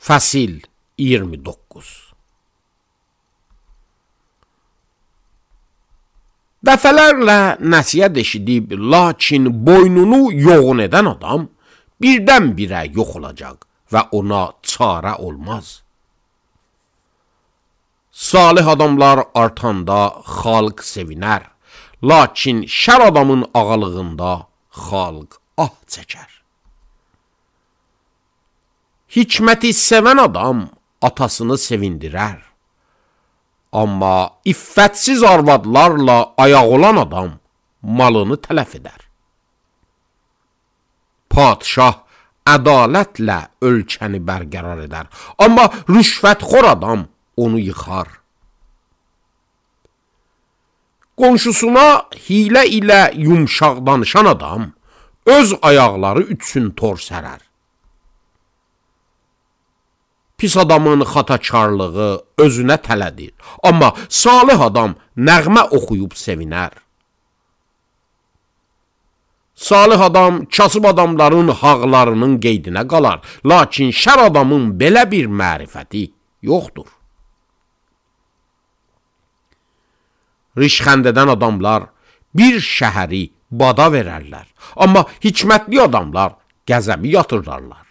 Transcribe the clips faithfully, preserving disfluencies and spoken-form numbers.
Fəsil iyirmi doqquz. Dəfələrlə nəsihət eşidib, lakin boynunu yoğun edən adam birdən-birə yox olacaq və ona çarə olmaz. Salih adamlar artanda xalq sevinər, lakin şər adamın ağalığında xalq ah çəkər. Hikməti sevən adam atasını sevindirər. Amma iffətsiz arvadlarla ayaq olan adam malını tələf edər. Padşah ədalətlə ölkəni bərqərar edər, amma rüşvətxor adam onu yıxar. Qonşusuna hilə ilə yumşaq danışan adam öz ayaqları üçün tor sərər. Pis adamın xatakarlığı özünə tələdir, amma salih adam nəğmə oxuyub sevinər. Salih adam kasıb adamların haqlarının qeydinə qalar, lakin şər adamın belə bir mərifəti yoxdur. Rişxənd edən adamlar bir şəhəri bada verərlər, amma hikmətli adamlar qəzəbi yatırlarlar.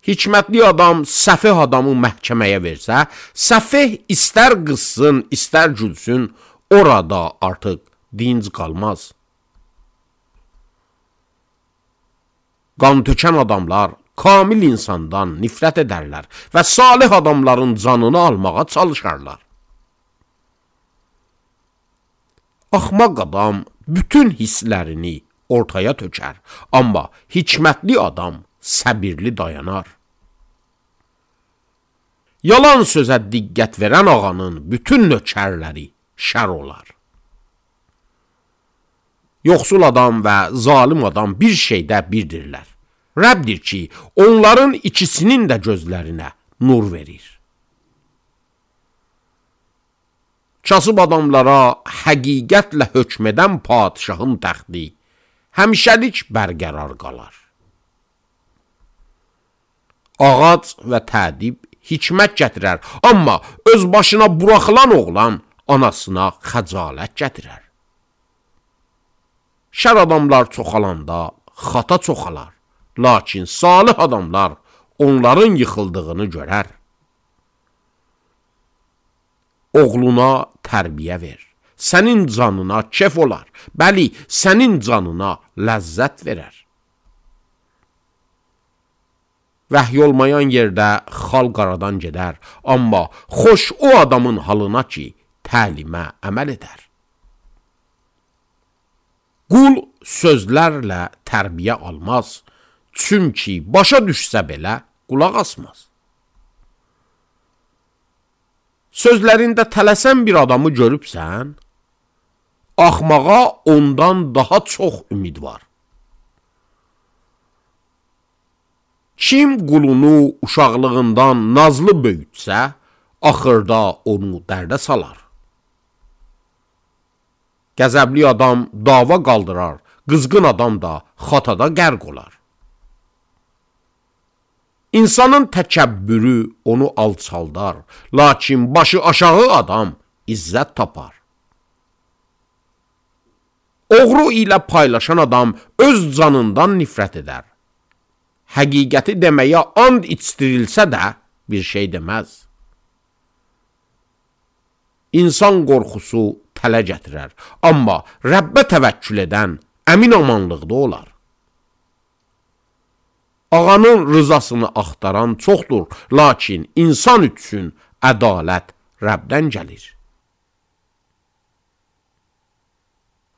Hikmətli adam səfeh adamı məhkəməyə versə, səfeh istər qızsın, istər gülsün, orada artıq dinc qalmaz. Qan tökən adamlar kamil insandan nifrət edərlər və salih adamların canını almağa çalışarlar. Axmaq adam bütün hisslərini ortaya tökər, amma hikmətli adam səbirli dayanar. Yalan sözə diqqət verən ağanın bütün nökərləri şər olar. Yoxsul adam və zalim adam bir şeydə birdirlər. Rəbdir ki, onların ikisinin də gözlərinə nur verir. Kasıb adamlara həqiqətlə hökm edən padşahın təxti həmişəlik bərqərar qalar. Ağac və tədib hikmət gətirər, amma öz başına buraxılan oğlan anasına xəcalət gətirər. Şər adamlar çoxalanda xata çoxalar, lakin salih adamlar onların yıxıldığını görər. Oğluna tərbiyə ver, sənin canına kef olar, bəli, sənin canına ləzzət verər. Vəhy olmayan yerdə xalq aradan gedər, amma xoş o adamın halına ki, təlimə əməl edər. Qul sözlərlə tərbiyə almaz, çünki başa düşsə belə qulaq asmaz. Sözlərində tələsən bir adamı görübsən, axmağa ondan daha çox ümid var. Kim qulunu uşaqlığından nazlı böyütsə, axırda onu dərdə salar. Qəzəbli adam dava qaldırar, qızğın adam da xatada qərq olar. İnsanın təkəbbürü onu alçaldar, lakin başı aşağı adam izzət tapar. Oğru ilə paylaşan adam öz canından nifrət edər. Həqiqəti deməyə and içdirilsə də bir şey deməz. İnsan qorxusu tələ gətirər, amma Rəbbə təvəkkül edən əmin amanlıqda olar. Ağanın rızasını axtaran çoxdur, lakin insan üçün ədalət Rəbdən gəlir.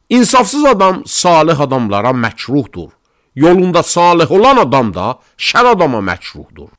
İnsafsız adam salih adamlara məkruhdur. Yolunda salih olan adam da şər adama məkruhdur.